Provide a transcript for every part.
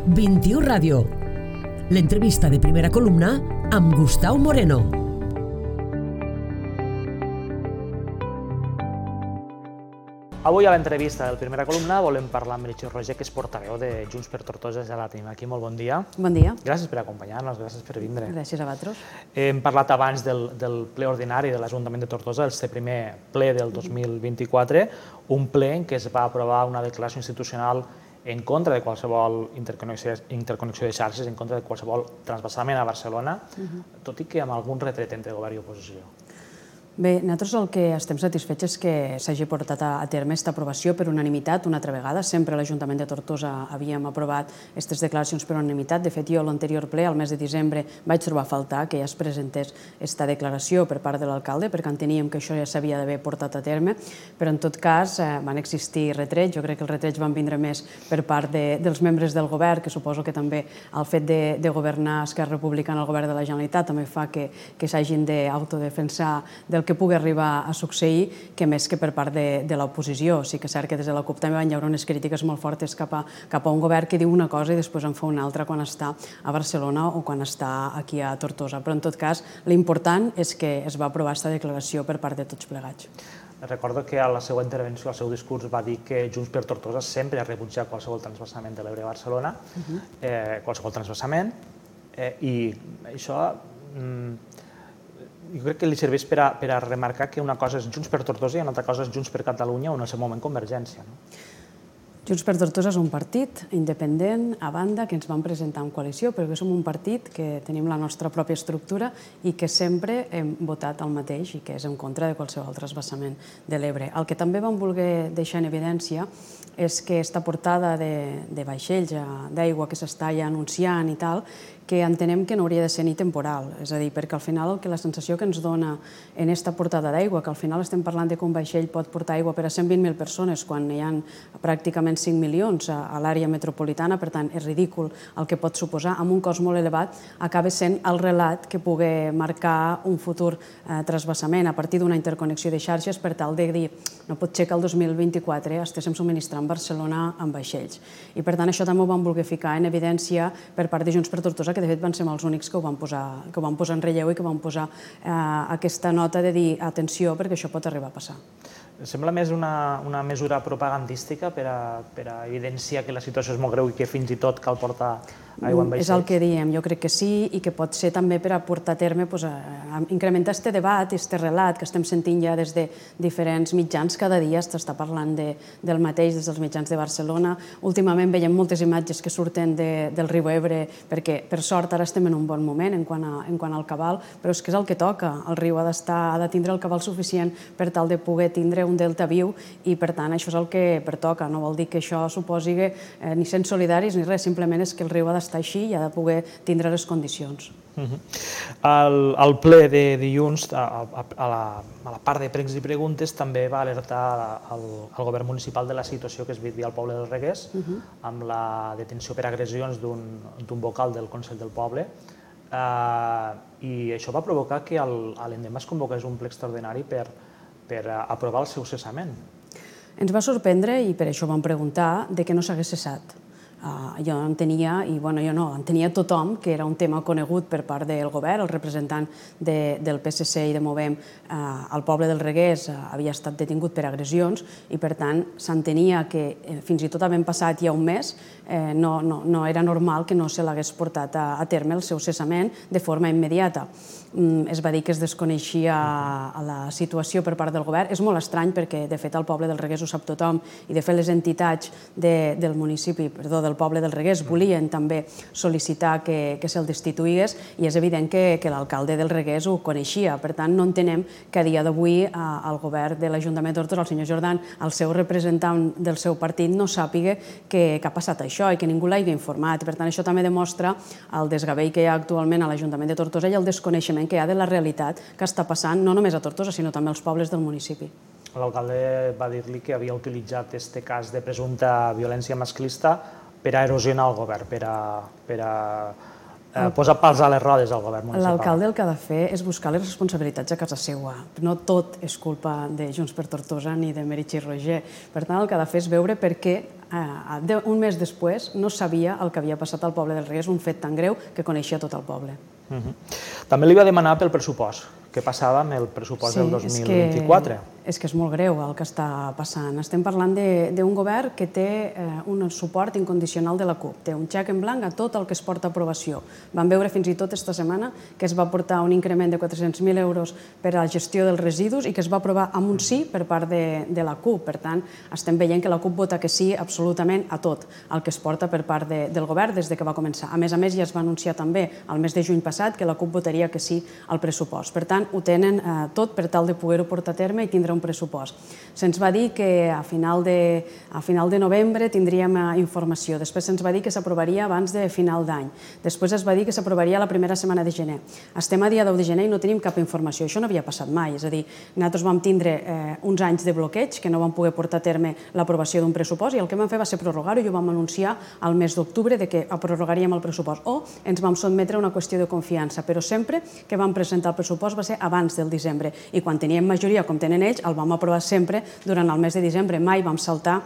21 Ràdio. L'entrevista de Primera Columna amb Gustau Moreno. Avui a l'entrevista del Primera Columna volem parlar amb Meritxell Roger, que és portaveu de Junts per Tortosa. Ja la tenim aquí. Molt bon dia. Bon dia. Gràcies per acompanyar-nos, gràcies per vindre. Gràcies a vosaltres. Hem parlat abans del ple ordinari de l'Ajuntament de Tortosa, el primer ple del 2024, un ple en què es va aprovar una declaració institucional en contra de qualsevol interconnexió de xarxes, en contra de qualsevol transvasament a Barcelona, tot i que amb algun retret entre govern i oposició. Bé, nosaltres el que estem satisfets és que s'hagi portat a terme aquesta aprovació per unanimitat una altra vegada. Sempre a l'Ajuntament de Tortosa havíem aprovat aquestes declaracions per unanimitat. De fet, jo a l'anterior ple, al mes de desembre, vaig trobar a faltar que ja es presentés aquesta declaració per part de l'alcalde, perquè enteníem que això ja s'havia d'haver portat a terme, però en tot cas van existir retrets. Jo crec que els retrets van vindre més per part dels membres del govern, que suposo que també el fet de governar Esquerra Republicana al govern de la Generalitat també fa que s'hagin d'autodefensar del que pugui arribar a succeir, que més que per part de l'oposició. Sí que és cert que des de la CUP també van hi haver unes crítiques molt fortes cap a un govern que diu una cosa i després en fa una altra quan està a Barcelona o quan està aquí a Tortosa. Però en tot cas, l'important és que es va aprovar aquesta declaració per part de tots plegats. Recordo que a la seva intervenció, al seu discurs, va dir que Junts per Tortosa sempre ha rebutjat qualsevol transvasament de l'Ebre a Barcelona, qualsevol transvasament, i això jo crec que li serveix per a remarcar que una cosa és Junts per Tortosa i una altra cosa és Junts per Catalunya o en el seu moment Convergència. Junts per Tortosa és un partit independent, a banda, que ens vam presentar en coalició, perquè som un partit que tenim la nostra pròpia estructura i que sempre hem votat el mateix i que és en contra de qualsevol transvasament de l'Ebre. El que també vam voler deixar en evidència és que aquesta portada de vaixells d'aigua que s'està ja anunciant i tal, que entenem que no hauria de ser ni temporal. És a dir, perquè al final la sensació que ens dona en aquesta portada d'aigua, que al final estem parlant que un vaixell pot portar aigua per a 120.000 persones quan hi ha pràcticament 5 milions a l'àrea metropolitana, per tant és ridícul el que pot suposar, amb un cost molt elevat, acaba sent el relat que pugui marcar un futur transvasament a partir d'una interconnexió de xarxes per tal de dir no pot ser que el 2024 estiguem subministrant Barcelona amb vaixells. I per tant això també ho vam voler ficar en evidència per part de Junts per Tortosa, que de fet van ser els únics que ho van posar en relleu i que van posar aquesta nota de dir atenció perquè això pot arribar a passar. Sembla més una mesura propagandística per a evidenciar que la situació és molt greu i que fins i tot cal portar aigua amb vaixells? És el que diem, jo crec que sí, i que pot ser també per a portar a terme, incrementar aquest debat i aquest relat que estem sentint ja des de diferents mitjans. Cada dia s'està parlant del mateix des dels mitjans de Barcelona. Últimament veiem moltes imatges que surten del riu Ebre, perquè per sort ara estem en un bon moment en quant al cabal, però és que és el que toca. El riu ha de tindre el cabal suficient per tal de poder tindre un delta viu i per tant això és el que pertoca. No vol dir que això suposi ni sent solidaris ni res, simplement és que el riu ha d'estar així i ha de poder tindre les condicions. Al ple de dilluns, a la part de pregs i preguntes, també va alertar el govern municipal de la situació que es vivia al poble del Reguers amb la detenció per agressions d'un vocal del Consell del Poble, i això va provocar que l'endemà es convoqués un ple extraordinari per aprovar el seu cessament. Ens va sorprendre, i per això vam preguntar, que no s'hagués cessat. Jo entenia, i jo no, entenia tothom que era un tema conegut per part del govern. El representant del PSC i de Movem al poble del Reguers havia estat detingut per agressions i per tant s'entenia que fins i tot havent passat ja un mes no era normal que no se l'hagués portat a terme el seu cessament de forma immediata. Es va dir que es desconeixia la situació per part del govern. És molt estrany perquè de fet al poble del Reguers ho sap tothom i de fet les entitats del municipi, del poble del Reguers volien també sol·licitar que se'l destituís i és evident que l'alcalde del Reguers ho coneixia. Per tant, no entenem que a dia d'avui el govern de l'Ajuntament de Tortosa, el senyor Jordan, el seu representant del seu partit, no sàpiga que ha passat això i que ningú l'hagi informat. Per tant, això també demostra el desgavell que hi ha actualment a l'Ajuntament de Tortosa i el desconeixement que hi ha de la realitat que està passant no només a Tortosa, sinó també als pobles del municipi. L'alcalde va dir-li que havia utilitzat aquest cas de presumpta violència masclista per a erosionar el govern, per a posa pals a les rodes al govern municipal. L'alcalde el que ha de fer és buscar les responsabilitats a casa seva. No tot és culpa de Junts per Tortosa ni de Meritxell Roigé. Per tant, el que ha de fer és veure per què un mes després no sabia el que havia passat al poble del Regués, un fet tan greu que coneixia tot el poble. També li va demanar pel pressupost. Què passava amb el pressupost del 2024? És que és molt greu el que està passant. Estem parlant d'un govern que té un suport incondicional de la CUP. Té un xec en blanc a tot el que es porta a aprovació. Vam veure fins i tot esta setmana que es va portar un increment de 400.000 euros per a la gestió dels residus i que es va aprovar amb un sí per part de la CUP. Per tant, estem veient que la CUP vota que sí absolutament a tot el que es porta per part del govern des que va començar. A més, ja es va anunciar també el mes de juny passat que la CUP votaria que sí al pressupost. Per tant, ho tenen tot per tal de poder-ho portar a terme i tindre un pressupost. Se'ns va dir que a final de novembre tindríem informació. Després se'ns va dir que s'aprovaria abans de final d'any. Després es va dir que s'aprovaria la primera setmana de gener. Estem a dia 10 de gener i no tenim cap informació. Això no havia passat mai. És a dir, nosaltres vam tindre uns anys de bloqueig que no vam poder portar a terme l'aprovació d'un pressupost i el que vam fer va ser prorrogar-ho i ho vam anunciar al mes d'octubre que prorrogaríem el pressupost o ens vam sotmetre a una qüestió de confiança, però sempre que vam presentar el pressupost va ser abans del desembre i quan teníem majoria, com tenen ells, el vam aprovar sempre durant el mes de desembre. Mai vam saltar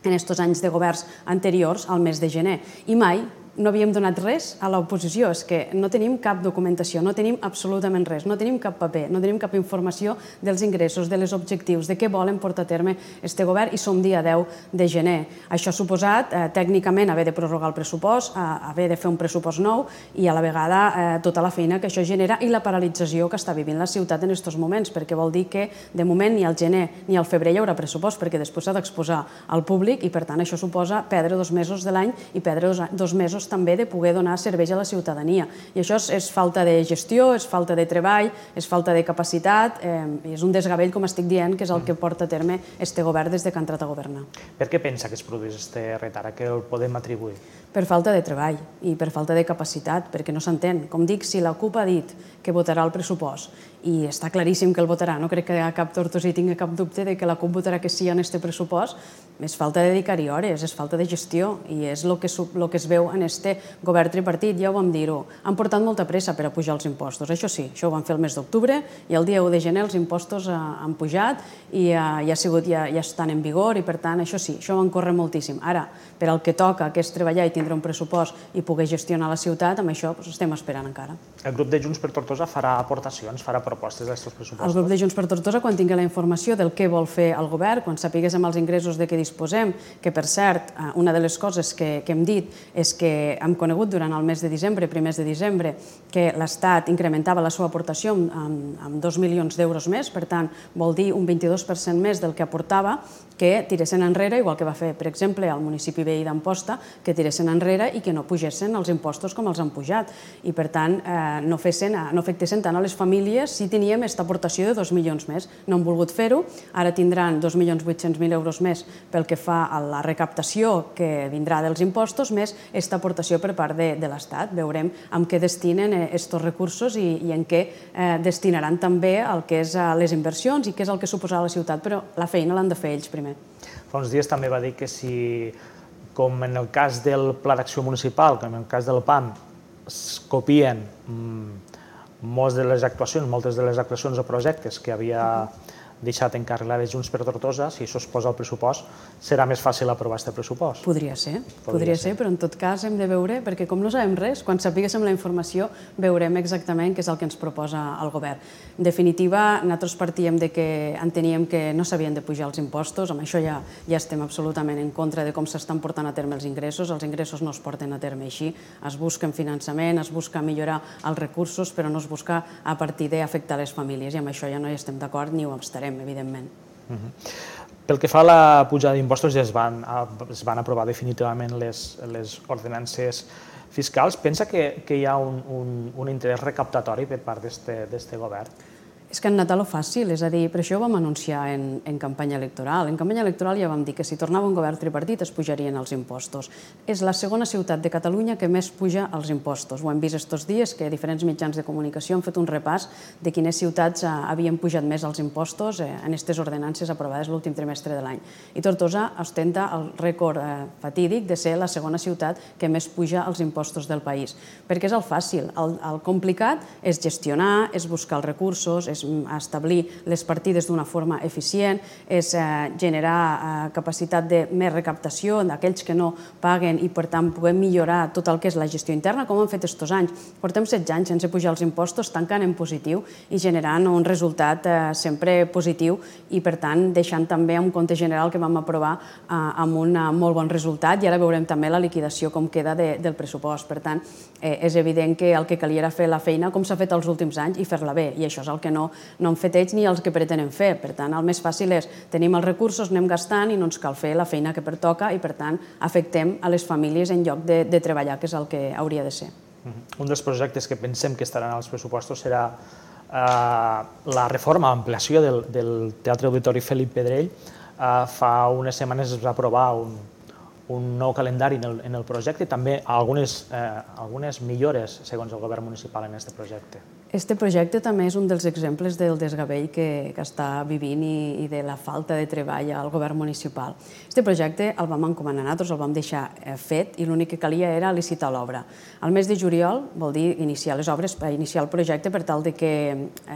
en aquests anys de governs anteriors al mes de gener i mai no havíem donat res a l'oposició. És que no tenim cap documentació, no tenim absolutament res, no tenim cap paper, no tenim cap informació dels ingressos, de les objectius, de què volen portar a terme este govern i som dia 10 de gener. Això ha suposat tècnicament haver de prorrogar el pressupost, haver de fer un pressupost nou i a la vegada tota la feina que això genera i la paralització que està vivint la ciutat en aquests moments, perquè vol dir que de moment ni al gener ni al febrer hi haurà pressupost perquè després s'ha d'exposar al públic i per tant això suposa perdre 2 mesos de l'any i perdre 2 mesos també de poder donar serveis a la ciutadania. I això és falta de gestió, és falta de treball, és falta de capacitat, és un desgavell, com estic dient, que és el que porta a terme este govern des que ha entrat a governar. Per què pensa que es produeix aquest retard? A què el podem atribuir? Per falta de treball i per falta de capacitat, perquè no s'entén. Com dic, si la CUP ha dit que votarà el pressupost i està claríssim que el votarà, no crec que cap tortosí tingui cap dubte de que la CUP votarà que sí en aquest pressupost, és falta de dedicar-hi hores, és falta de gestió i és el que es veu en este govern tripartit, ja ho vam dir-ho. Han portat molta pressa per a pujar els impostos, això sí, això ho van fer el mes d'octubre i el dia 1 de gener els impostos han pujat i ja estan en vigor i per tant, això sí, això van córrer moltíssim. Ara, per al que toca, que és treballar i tindre un pressupost i poder gestionar la ciutat, amb això estem esperant encara. El grup de Junts per Tortosa farà aportacions, farà propostes d'aquests pressupostos? El grup de Junts per Tortosa, quan tingui la informació del què vol fer el govern, quan sapiguéssim els ingressos de què disposem, que per cert, una de les coses que hem dit és que hem conegut durant el mes de desembre, primers de desembre, que l'Estat incrementava la seva aportació amb 2 milions d'euros més, per tant, vol dir un 22% més del que aportava, que tiressin enrere, igual que va fer, per exemple, al municipi veí d'Amposta, que tiressin enrere i que no pugessin els impostos com els han pujat. I, per tant, no afectessin tant a les famílies si teníem aquesta aportació de 2 milions més. No han volgut fer-ho, ara tindran 2.800.000 euros més pel que fa a la recaptació que vindrà dels impostos, més aquesta aportació per part de l'Estat. Veurem en què destinen aquests recursos i en què destinaran també el que és les inversions i què és el que suposarà la ciutat, però la feina l'han de fer ells primer. Fa uns dies també va dir que si, com en el cas del Pla d'Acció Municipal, com en el cas del PAM, es copien moltes de les actuacions o projectes que havia deixat encarregades Junts per Tortosa, si això es posa al pressupost, serà més fàcil aprovar aquest pressupost. Podria ser, però en tot cas hem de veure, perquè com no sabem res, quan sapiguéssim la informació veurem exactament què és el que ens proposa el govern. En definitiva, nosaltres partíem de que enteníem que no s'havien de pujar els impostos, amb això ja estem absolutament en contra de com s'estan portant a terme els ingressos no es porten a terme així, es busca finançament, es busca millorar els recursos, però no es busca a partir d'afectar les famílies, i amb això ja no hi estem d'acord ni ho estarem, evidentment. Pel que fa a la pujada d'impostos, ja es van aprovar definitivament les ordenances fiscals. Pensa que hi ha un interès recaptatori per part d'aquest govern? És que han anat a lo fàcil, és a dir, per això ho vam anunciar en campanya electoral. En campanya electoral ja vam dir que si tornava un govern tripartit es pujarien els impostos. És la segona ciutat de Catalunya que més puja els impostos. Ho hem vist estos dies, que diferents mitjans de comunicació han fet un repàs de quines ciutats havien pujat més els impostos en aquestes ordenances aprovades l'últim trimestre de l'any. I Tortosa ostenta el rècord fatídic de ser la segona ciutat que més puja els impostos del país. Perquè és el fàcil. El complicat és gestionar, és buscar els recursos, és establir les partides d'una forma eficient, és generar capacitat de més recaptació d'aquells que no paguen i, per tant, poder millorar tot el que és la gestió interna, com han fet estos anys. Portem 16 anys sense pujar els impostos, tancant en positiu i generant un resultat sempre positiu i, per tant, deixant també un compte general que vam aprovar amb un molt bon resultat i ara veurem també la liquidació com queda del pressupost. Per tant, és evident que el que calia era fer la feina com s'ha fet els últims anys i fer-la bé, i això és el que no han fet ells ni els que pretenen fer. Per tant, el més fàcil és tenim els recursos, anem gastant i no ens cal fer la feina que pertoca i, per tant, afectem a les famílies en lloc de treballar, que és el que hauria de ser. Un dels projectes que pensem que estaran als pressupostos serà la reforma, l'ampliació del Teatre Auditori Felip Pedrell. Fa unes setmanes es va aprovar un nou calendari en el projecte i també algunes millores segons el govern municipal en aquest projecte. Este projecte també és un dels exemples del desgavell que està vivint i de la falta de treball al govern municipal. Este projecte el vam encomanar nosaltres, el vam deixar fet i l'únic que calia era licitar l'obra. Al mes de juliol vol dir iniciar les obres, iniciar el projecte per tal de que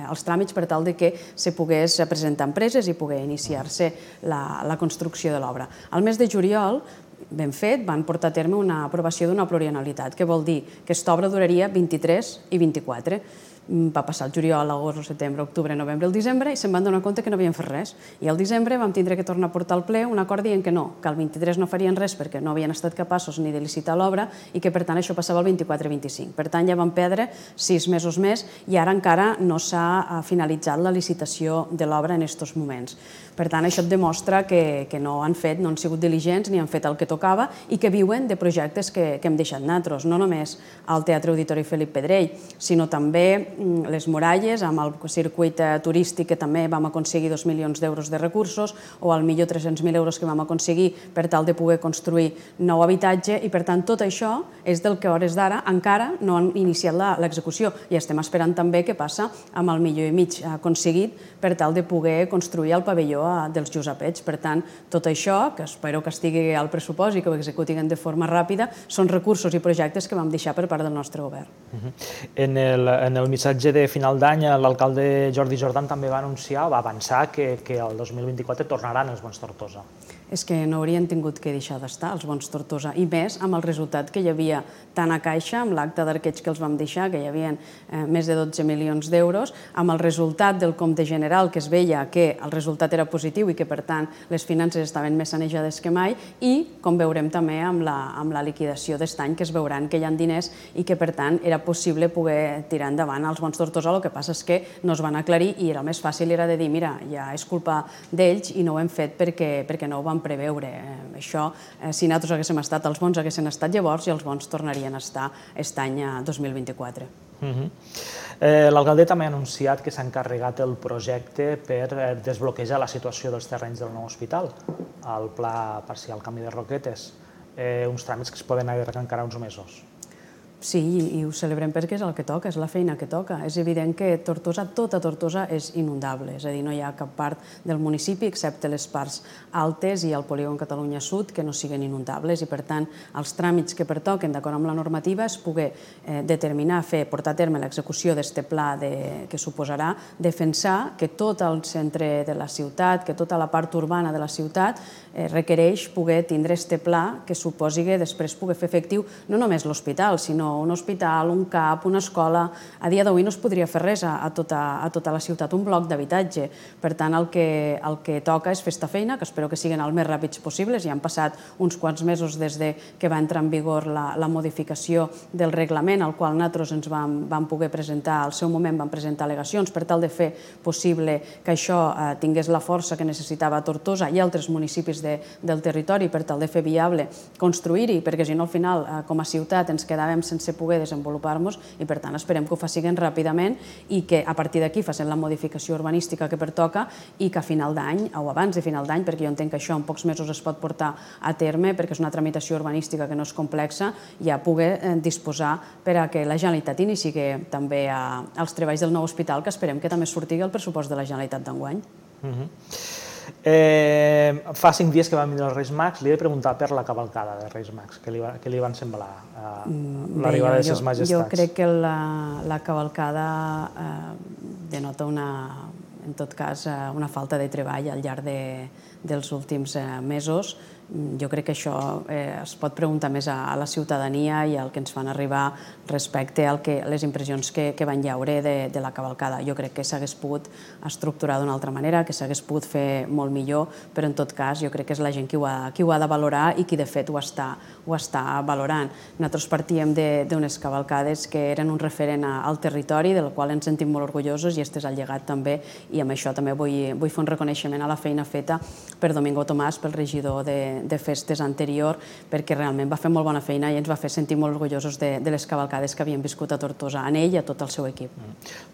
els tràmits per tal de que se pogués presentar empreses i poder iniciar-se la construcció de l'obra. Al mes de juliol ben fet, van portar a terme una aprovació d'una plurianualitat, que vol dir que aquesta obra duraria 23 i 24. Va passar el juliol, l'agost, el setembre, octubre, novembre, el desembre i se'n van donar compte que no havien fet res. I al desembre vam tindre que tornar a portar al ple un acord dient que no, que el 23 no farien res perquè no havien estat capaços ni de licitar l'obra i que per tant això passava al 24-25. Per tant ja van perdre 6 mesos més i ara encara no s'ha finalitzat la licitació de l'obra en aquests moments. Per tant, això et demostra que no han sigut diligents ni han fet el que tocava i que viuen de projectes que hem deixat nosaltres, no només al Teatre Auditori Felip Pedrell, sinó també les muralles, amb el circuit turístic que també vam aconseguir 2 milions d'euros de recursos o al millor 300.000 euros que vam aconseguir per tal de poder construir nou habitatge i per tant tot això és del que a hores d'ara encara no han iniciat l'execució i estem esperant també què passa amb el milió i mig aconseguit per tal de poder construir el pavelló dels Josepets. Per tant, tot això, que espero que estigui al pressupost i que ho executin de forma ràpida, són recursos i projectes que vam deixar per part del nostre govern. En el missatge de final d'any, l'alcalde Jordi Jordan també va anunciar, va avançar que el 2024 tornaran els bons Tortosa. És que no haurien tingut que deixar d'estar els bons Tortosa, i més amb el resultat que hi havia tant a Caixa, amb l'acte d'arqueig que els vam deixar, que hi havia més de 12 milions d'euros, amb el resultat del compte general, que es veia que el resultat era positiu i que, per tant, les finances estaven més sanejades que mai, i, com veurem també amb la liquidació d'aquest any, que es veuran que hi ha diners i que, per tant, era possible poder tirar endavant els bons Tortosa. El que passa és que no es van aclarir i el més fàcil era de dir, mira, ja és culpa d'ells i no ho hem fet perquè no ho vam preveure. Això, si nosaltres haguéssim estat, els bons haguessin estat llavors i els bons tornarien a estar aquest any 2024. L'alcalde també ha anunciat que s'ha encarregat el projecte per desbloquejar la situació dels terrenys del nou hospital, el pla parcial canvi de roquetes, uns tràmits que es poden allargar encara uns mesos. Sí, i ho celebrem perquè és el que toca, és la feina que toca. És evident que Tortosa, tota Tortosa, és inundable, és a dir, no hi ha cap part del municipi, excepte les parts altes i el polígon Catalunya Sud, que no siguin inundables, i per tant els tràmits que pertoquen d'acord amb la normativa és poder determinar, portar a terme l'execució d'aquest pla que suposarà defensar que tot el centre de la ciutat, que tota la part urbana de la ciutat requereix poder tindre aquest pla que suposi que després poder fer efectiu no només l'hospital, sinó un hospital, un CAP, una escola. A dia d'avui no es podria fer res a tota la ciutat, un bloc d'habitatge. Per tant, el que toca és fer aquesta feina, que espero que siguin el més ràpids possibles. Ja han passat uns quants mesos des que va entrar en vigor la modificació del reglament, al qual nosaltres ens vam poder presentar, al seu moment vam presentar al·legacions per tal de fer possible que això tingués la força que necessitava Tortosa i altres municipis del territori per tal de fer viable construir-hi, perquè si no al final com a ciutat ens quedàvem sense sense poder desenvolupar-nos i per tant esperem que ho facin ràpidament i que a partir d'aquí facin la modificació urbanística que pertoca i que a final d'any o abans de final d'any, perquè jo entenc que això en pocs mesos es pot portar a terme perquè és una tramitació urbanística que no és complexa, ja poder disposar per a que la Generalitat inici també els treballs del nou hospital, que esperem que també surti el pressupost de la Generalitat d'enguany. Fa 5 dies que van venir els Reis Mags, li he de preguntar per la cavalcada de Reis Mags, què li van semblar l'arribada de ses majestats? Jo crec que la cavalcada denota en tot cas una falta de treball al llarg dels últims mesos. Jo crec que això es pot preguntar més a la ciutadania i al que ens fan arribar respecte a les impressions que van llaure de la cavalcada. Jo crec que s'hagués pogut estructurar d'una altra manera, que s'hagués pogut fer molt millor, però en tot cas jo crec que és la gent qui ho ha de valorar i qui de fet ho està valorant. Nosaltres partíem d'unes cavalcades que eren un referent al territori, del qual ens sentim molt orgullosos i este és el llegat també, i amb això també vull fer un reconeixement a la feina feta per Domingo Tomàs, pel regidor de festes anterior, perquè realment va fer molt bona feina i ens va fer sentir molt orgullosos de les cavalcades que havien viscut a Tortosa, en ell i a tot el seu equip.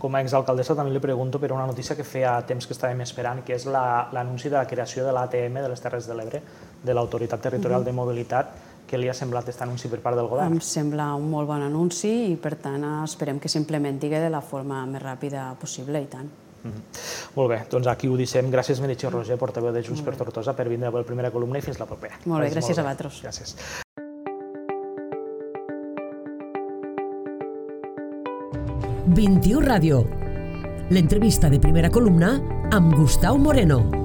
Com a exalcaldessa també li pregunto per una notícia que feia temps que estàvem esperant, que és l'anunci de la creació de l'ATM de les Terres de l'Ebre, de l'Autoritat Territorial de Mobilitat. Què li ha semblat aquest anunci per part del govern? Em sembla un molt bon anunci i per tant esperem que s'implementi de la forma més ràpida possible i tant. Molt bé, doncs aquí ho deixem. Gràcies, Meritxell Roger, portaveu de Junts per Tortosa, per vindre a la primera columna i fins la propera. Molt bé, gràcies a vosaltres. Gràcies. XXI Ràdio. L'entrevista de primera columna amb Gustau Moreno.